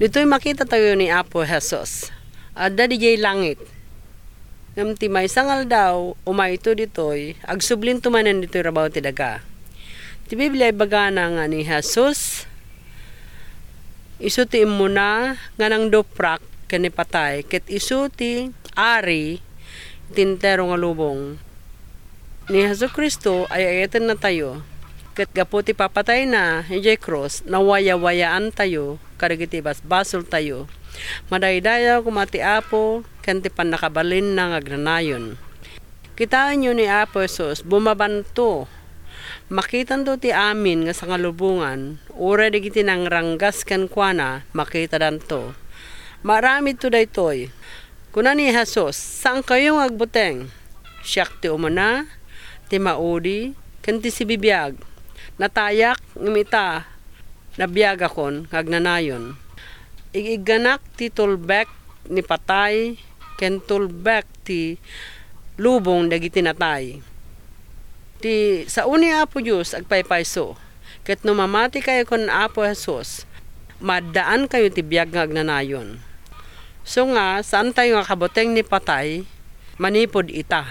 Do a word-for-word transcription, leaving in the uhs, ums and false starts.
Ditoy makitatayo ni Apo Jesus. Adda didiay langit. Ngem ti maysa nga aldaw, umayto ditoy, agsublinto manen ditoy rabaw ti daga. Ti Biblia ibagana nga ni Jesus, isu ti immuna nga nangduprak ken ni patay, ket isu ti ari iti entero nga lubong. Ni Jesu-Cristo ay ayatennatayo, ket gapu ti papatayna idiay krus, nawayawayaantayo kadagiti basbasoltayo. Madaydayaw koma ti Apo ken ti pannakabalinna nga agnanayon. Kitaenyo ni Apo Jesus, bumabanto. Makitanto ti amin nga sangalubongan, uray dagiti nangranggas kenkuana, makitadanto. Maaramidto daytoy. Kuna ni Jesus, "Saankayo nga agbuteng. Siak ti umuna, ti maudi, ken ti sibibiag. Natayak, ngem ita, nabiagakon nga agnanayon. Ig-igganak ti tulbek ni patay, ken tulbek ti lubong dagiti natay." Ti sao ni Apo Dios agpaypayso, ket no mamatikayo ken Apo Jesus, maaddaankayo ti biag nga agnanayon. So nga, saantayo nga kabuteng ni patay manipud ita.